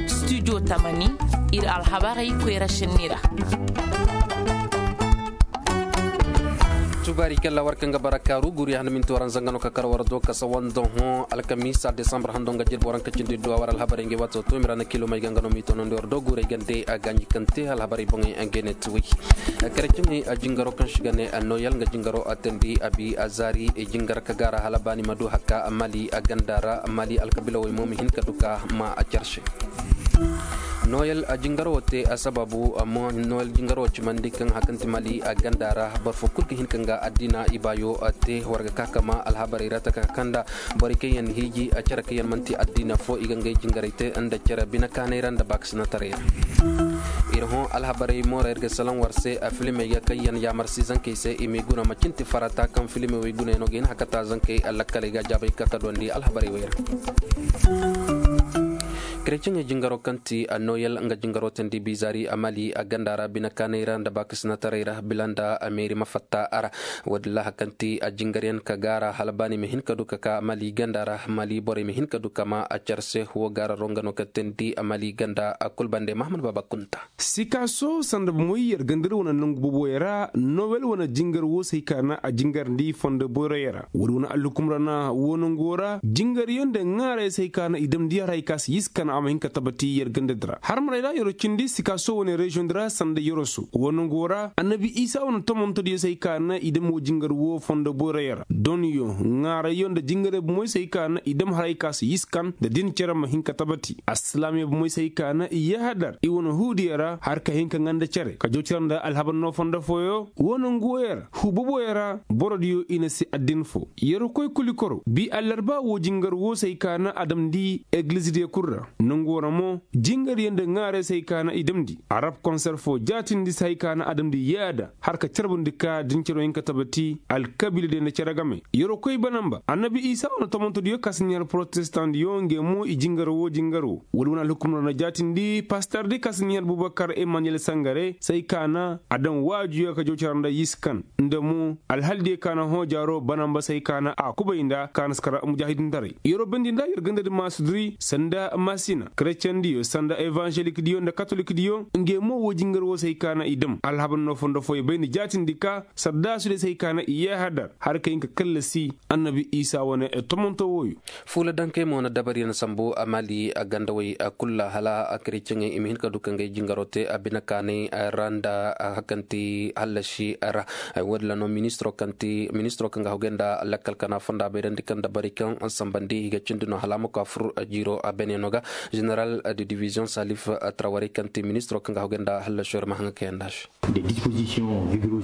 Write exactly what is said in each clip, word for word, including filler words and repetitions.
Studio tamani, ir alhabarey koyra šenni ra. Tubaari kalla war kaŋ ga bara kaaru guuri handa minti waranza nga no ka kar war do kasa wando hõ alkamiisa desambar hando nga jirbi waranka cindi duwa war alhabarey nga waato to mi ra na kilo may ga nga no mi tonondi war do guurey gande a ganji kaŋ te alhabarey boŋey nga ne tuwey. Kare cimey a jingaro kaŋ si ga ne a noyel nga jingaro a tandi a bi a zaari jingar ka gaara hala baani ma du hakka mali a ganda ra mali alkabila wey mo ma hin ka du ka ma a car se. Noyel a jingaro te a sababu a mo noyel jingaro cimandi kaŋ hakanti mali a ganda ra boro fo kul ga hin ka nga addiina ibaayo te war ga ka kama alhabarey ra taka kanda borey kaŋ yaŋ hiiji a care kaŋ yaŋ manti addiina fo i ga ngey jingarey te nda care bine kaaney ra nda baakasinataray ra. Ir hõ alhabarey moora ir ga salaŋ war se a filimey ga kaŋ yaŋ yaamar si zankey se i m'i guna ma cinti farata kaŋ filimey wey gunayaŋo ga hin hakata zankey lakkaley ga jaabay ka ka duwandi alhabarey wey ra. Kretiyey jingaro kaŋ ti a noyel nga jingaro tandi bizari a mali a ganda ra bine kaaney ra nda baakasinataray ra bila nda a meeri ma fatta a ra. Woodin ra hakanti a jingaryaŋ ka gaara hala baani ma hin ka du ka ka mali ganda ra mali borey ma hin ka du ka ma a care se wo gaararo nga no ka teendi a mali ganda a kul bande mahamad baaba kunta. Sikaaso sanda bomoy yer ganda ra wane nangu boboyaŋ ra nowel wane jingar wo se hay ka na a jingarndi fondo boyroyaŋ ra woodi wane alhukum ra na wo nangu wo ra jingaryaŋ nda ŋaarayyaŋ se hay ka na i damndi har hay ka se yis ka na a ma hin ka tabati yer ganda di ra harmaray ra yero cindi sikaaso wane reziyoŋ di ra sanda yero so wo nangu wo ra annabi isa wane tomontodiyo se hay ka na i dam wo jingar wo fondo boyroyaŋ ra donyo ŋaarayyo nda jingaray bomoy se hay ka na i dam har hay ka se yis kan nda din cere ma hin ka tabati alsilaamiya bomoy se hay ka na i yahadar i wane huudiyaŋ ra har ka hin ka ŋanda cere ka jow cere nda alhabar no fondo fooyo wo nangu woyaŋ ra huu boboyaŋ ra borodiyo i na si addin fo yer koy kuli koro bi allarba wo jingar wo se hay ka na a damndi egilizidiyo kul ra nangu wo ra mo jingaryaŋ nda ŋaarayyaŋ se hay ka na i damndi arab konser fo jaatindi se hay ka na a damndi yaada har ka carbundi ka din cere wo hin ka tabati alkabiiladiyo nda cere game yeroo koy banamba annabi isa wane tomontodiyo ka si ɲaar porotestaŋdiyo ngey mo i jingar wo jingar wo wala wane alhukumar na jaatindi pastardi ka si ɲaar bubakar emmaniyel sangare se hay ka na a daŋ waajuyo ka jaw cara nda yiskan nda mo alhaldiyo ka na hõ jaaro banamba se hay ka na a kubay nda ka na si kar mujaahidintaray yeroo bandi nda yer gandadi maasuduri sanda masina kretiyaŋdiyo sanda evanzelikdiyo nda katolikdiyo ngey mo wo jingar wo se hay ka na i dam alhabar no fondo fooyo bay nda jaatindi ka sardaasudiyo se hay ka na i yahadar har ka hin ka kallasi annabi isa wane tomonto wooyo fuula dankey mo na dabariyaŋ sambu a maali a gandawey a kul ra hala a kretiyaŋey i ma hin ka du ka ngey jingaro te a bine kaanay ra nda a hakanti hallasi ra woodin ra no ministiro kaŋ ga hawgay nda lakkal kana fonda bayrandi kaŋ dabari kaŋ sambandi i ga cindi no hala a ma ka fur jiiro a beneyaŋo ga general de division salif trawarey kaŋ ti ministiro kaŋ ga hawgay nda hallasi ra ma haŋa kayanda se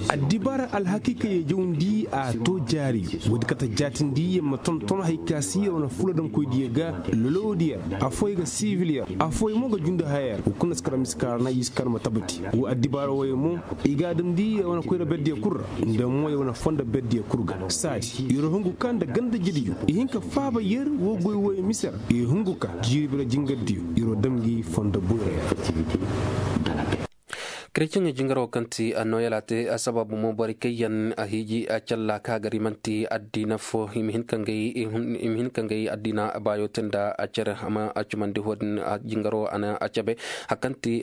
addibaara alhakiikayey jawndi a to jaari woodi kate jaatindi yer ma tonton hay ka si yer wane fuladamkoydiyo ga lolowdiyo ra afooy ga sibil yer afooy mo ga jundi haya yer wo kuna si kar misi kaara na yer si kar ma tabati wo addibaara wooyo mo i ga a damndi yer wane koyra berdiyo kul ra nda mo yer wane fondo berdiyo kul ga saadi yer hungu ka nda ganda jidiyo i hin ka faaba yer wo goy wooyo mise ra i hungu ka jiiri bira jingardiyo yer wo dam ngi fondo boyra yer. Kretiyeŋey jingaro kaŋ ti a noyel a te a sababu mo borey kaŋ yaŋ a hiiji a calla ka gari manti addiina fo i ma hin ka ngey addiina baayo te nda a cere a ma a cumandi ho din jingaro a na a cabe hari kaŋ ti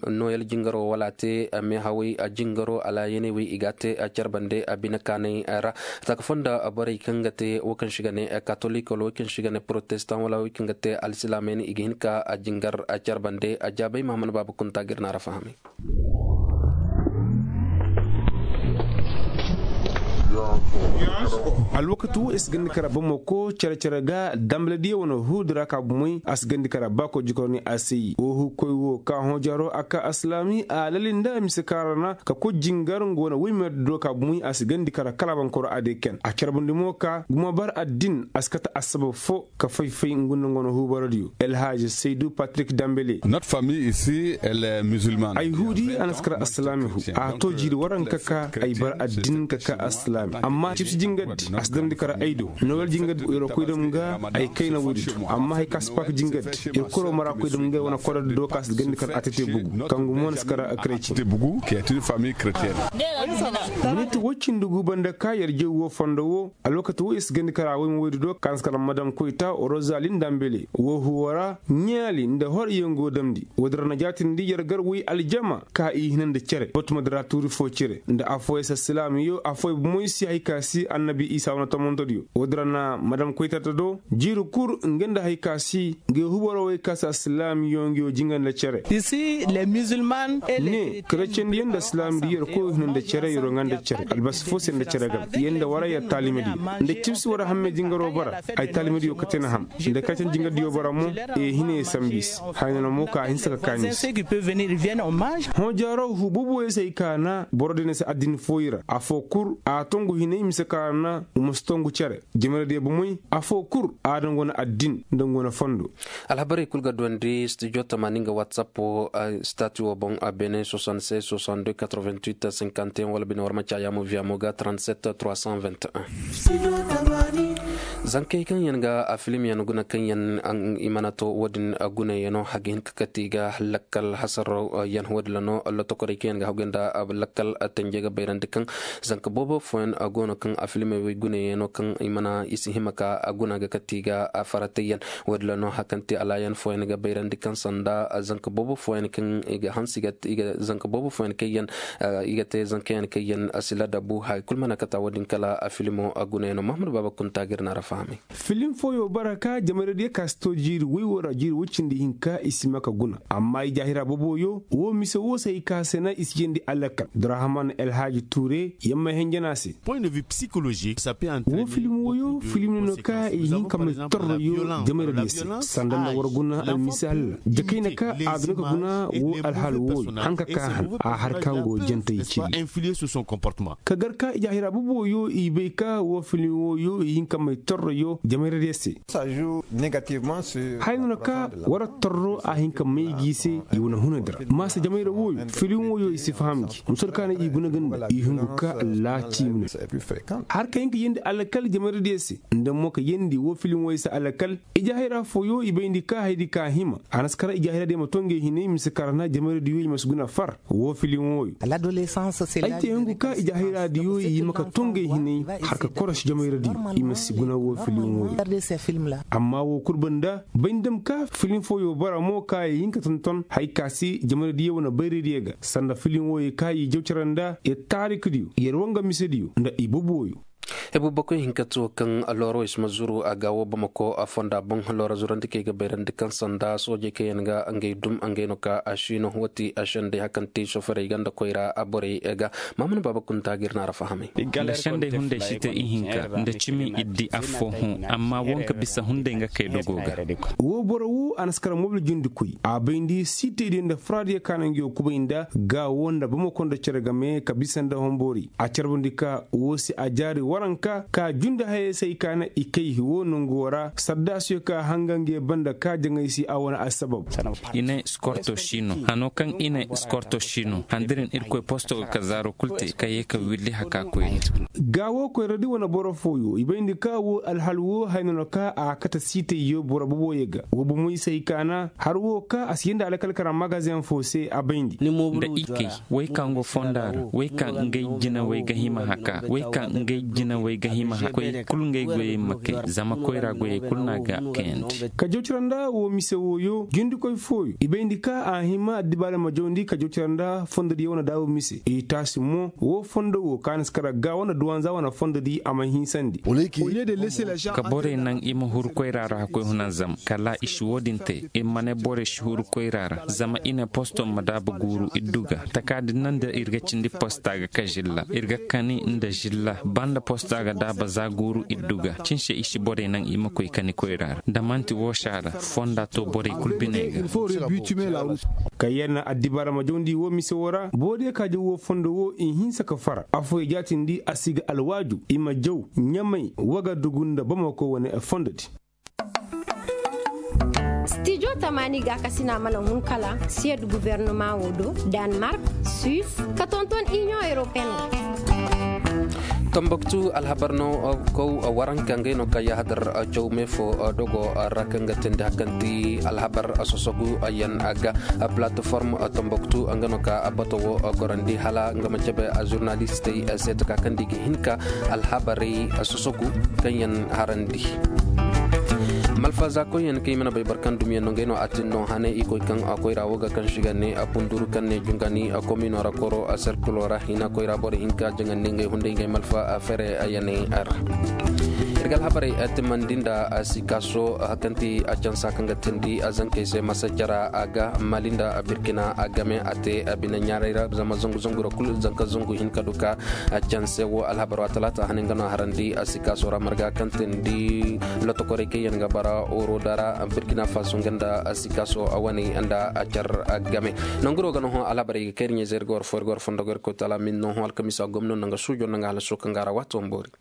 noyel jingaro wala a te meehawey jingaro alaayaney wey i ga a te a cere bande a bine kaanay ra taka fo nda borey kaŋ ga te wo kaŋ se i ga ne katolik wala wo kaŋ se i ga ne porotestan wala wo kaŋ ga te alsilaamey ne i ga hin ka a jingar a cere bande a jaabay mahamad baaba kunta ga ir na a ra fahamay. Alwakati wo i si gandi kara bamako care care ga dambaladiyo wane huudi ra ka bumey a si gandi kara baako jikor ni a se yi wo huukoy wo ka hõ jaro a ka alsilaami a lali nda a mise kaara na ka koy jingar nga wane woymer do ka bumey a si gandi kara kala bankoro a day ken a care bundi mo ka gumo bar addin a si kate assabab fo ka fay-fay ngu nda nga wane huubaradiyo elhaaji saydu patrik dambele. Ay huudi a na si kar alsilaami hu a to jiiri waranka ka ay bar addin ka ka alsilaami. Amma cibsi jingaddi a si damndi kar ay do. Nowel jingaddi yer koy dam ga ay kayna woodi do amma hay ka si pak jingaddi yer koro mara koy dam ga wane kododdi do ka si gandi kar a tete bugu kangu mo na si kar kretien. Miniti woy cindi gu banda ka yer jew woo fondo woo alwakati woo yer si gandi kar a woy ma woydi do ka na si kar madam koyta rozali nda mbele woo huwo ra ɲaali nda hor yer go damndi woodi ra na jaatindi yer gar woy aljama ka i hina nda cere batuma dira tuuri foo cere nda affooyey si alsilaamiyo affooyey bomoy si hay ka si annabi isa wane tomantodiyo woodi ra na madam koytata do jiiri kul nga nda hay ka si nga hubaroo wey ka si alsilaamiyo nga yoo jinga nda cere. Ne kretiyandi yer nda alsilaamidi yer koyoo hina nda cere yeroo nga nda cere albasi foo se nda cere gam yer nda wara yer taalimadi nda cibsi wara hammey jingaroo bara ay taalimadiyo kate na ham nda kacin jingaddiyo bara mo ee hina ye sambi se. Haya no na mo ka a hinsa ka kaani se. Hõ jaaro huu boboyo se ay kaana boro day na se addin fooyi ra afoo kul a tongu hinay mise kaana u ma si tongu cere jamaradiyo bomoy afoo kul a daŋ go na addin nda go na fondo. Alhabarey kul ga duwandi studio tamaani nga whatsapp wo stati wo boŋ a beene soixante-seize soixante-deux quatre-vingt-huit cinquante et un wala bine war ma caayaa mo viya mo ga trente-sept trois cent vingt et un. Zankey kaŋ yaŋ ga a filimyaŋ guna kaŋ yaŋ i mana to wo-din gunayaŋo a ga hin ka kati ga lakkal hasaraw yaŋ wo-din ra no lotokorey kaŋ yaŋ ga hagu yaŋ nda lakkal tanje ga bayrandi kaŋ zanka boobo fooyaŋ go no kaŋ a filimey wey gunayaŋo kaŋ i mana i si hima ka guna ga kati ga faratayyaŋ. Wo-din ra no hari kaŋ te alaayaŋ fooyaŋ ga bayrandi kaŋ sanda zanka boobo fooyaŋ kaŋ i ga hanse i ga te zankayaŋ kaŋ yaŋ a si ladabu haya kulu mana kata wo-din kala a filimo a gunayaŋo mahamadu baaba kunta ga ir na ra fahamay. Filim fooyo bara ka jamaradiyo ka si to jiiri woy wo ra jiiri woy cindi hinka i si ma ka guna amma i jaahira boboyo wo mise wo se hay ka se na i si jeendi alakal durahaman elhaaji tuure yamma henjana se. Wo filim woyo filim no ka i hin ka may torroyo jamaradiyo se sanda nda war guna almisal jakayna ka a ga no ka guna wo alhaal woyo hanka ka han a har ka ngo jantey ciri. Ka gar ka i jaahira boboyo i bay ka wo filim woyo i hin ka may torroyo jamaradiyo se. Haya no na ka war torro a hin ka may gi se i wane hunandi ra maasa jamayra woyo filim woyo i si faham gi musur ka na i guna ganda i hungu ka allaaci mine. Har ka hin ka yeendi alakal jamaradiyo se nda mo ka yeendi wo filim woyo se alakal. Ijahira fooyo i bayndi ka haydi ka hima a na si kara ijahiradiyo ma to ngey hinay mise kara na jamaradiyo i ma si guna far wo filim woyo. Ay te hungu ka ijahiradiyo i hima ka to ngey hinay har ka koros jamaradiyo i ma si guna wo filim woyo. Amma wo kul banda bay ni dam ka filim fooyo bara mo ka i hin ka tonton hay ka se jamaradiyo wane bayradiyo ga sanda filim woyo ka i jaw cere nda yer taarikadiyo yer wanga misediyo nda i boboyo. Hebu bakoy hinka ti wo kaŋ looro i si ma zuru a ga wo bamako a fonda boŋ looro zurandi kaŋ i ga bayrandi kaŋ sanda soojey kaŋ yaŋ ga ngey dum ngey no ka a siino wo ti a sendey hari kaŋ ti soferey ganda koyra a borey ga. Maamuna baaba kunta ga ir na ra fahamay. Nda sendey hunday si te ihinka nda cimi iddi affo hõ amma wo nga bisa hunday nga kay dogo ga. Wo boro wo a na si kara mobil jundikoy a bayndi siitaydiyo nda furaadiyo ka na nga yoo kubay nda ga wo nda bamako nda cere game ka bisa nda homboori a carbandi ka wo se a jaari waranka ka jundi hayey se ay ka na i kay wo nongu wo ra sardaasiyo ka hanga nga ye banda ka jaŋay se a wane assabab. I ne skorto si no hano kaŋ i ne skorto si no handirin irkoy posto ga ka zaaro kul te ka ye ka willi haka koyri. Ga wo koyradi wane boro fooyo i bayndi ka wo alhal wo hayna no ka a kate siitayyo boro boboyo ga wo bomoy se ay ka na har wo ka a si yeendi alakal kara magazeŋ foo se a bayndi. Nda i kay wey kaŋ go fonda ra wey kaŋ ngey jinawey ga hima haka wey kaŋ ngey jinawey ga hima haka koy kul ngey goyey ma kay zama koyra goyey kul no a ga kayandi. Ka jaw cere nda wo mise wooyo jundikoy fooyo i bayndi ka a hima addibaale ma jawndi ka jaw cere nda fondodiyo wane daabu mise i taasi mo wo fondo wo ka na si kara ga wane duwanza wane fondodi a ma hinsandi. Ka borey naŋ i ma huru koyra ra ka koy hunanzam kala i si wo-din te i ma ne borey si huru koyra ra zama i ne posto ma daaba guuru iddu ga taka din naŋ da ir ga cindi posta ga ka zilla ir ga kani nda zilla ba nda posta ga daaba za guuru iddu ga cin se i si borey naŋ i ma koy kani koyra ra da man'ti woo se a ra fonda to borey kul biney ga. Kaŋ yer na addibaara ma jawndi woo mise woo ra boodiyo ka jaw woo fondo woo i hinsa ka fara affooyo jaatindi a si ga alwaaju i ma jaw ɲamay wagadugu nda bamako wane fondodi. Stijo tamaani gaakasina mana hun kala siyed gubernumaŋo do, danmark, suis, ka tonton iniyoŋ europeen ra. Tambaktu alhabar no kaw waranka ngay no ka yahadar caw me fo dogo ra kaŋ ga tindi hakanti alhabar sosogu yan ga. Plataform tambaktu nga no ka bato wo gorandi hala nga ma cabe a zurnalistey se taka kaŋ di ga hinka alhabarey sosogu kaŋ yan harandi. Malfa za koy yan kay mana bay barkan dumiyan no ngay no atin no hane ikoy kaŋ koyra wo ga kaŋ shiga ne a punduru kaŋ ne jungani a komino ra koro a serkulo ra hina koyra boro hinka jangandi ngay hunday ngay malfa a fere a yanay ra. Irgal habarai a timandi nda a sikaso a kanti a cansa kaŋ ga tindi a zankay se masa cara a ga mali nda a birkina a game a te a bine ɲaray ra zama zangu zangu ra kulu zanka zangu hinka duka. A canse wo alhabar wa talata hanin gano harandi a sikaso ra marga kaŋ tindi lotokoray kaŋ yan ga bara oro dara birkina faso nga nda a sikaso a wane nda a car a game. Nanguro gano ho alhabarai ga kayri ɲe zai ga war fo ir ga war fondo ga ir koy tala min no ho alkamisa gomno nanga sujo nanga halaso kaŋ ga ra wato mbori.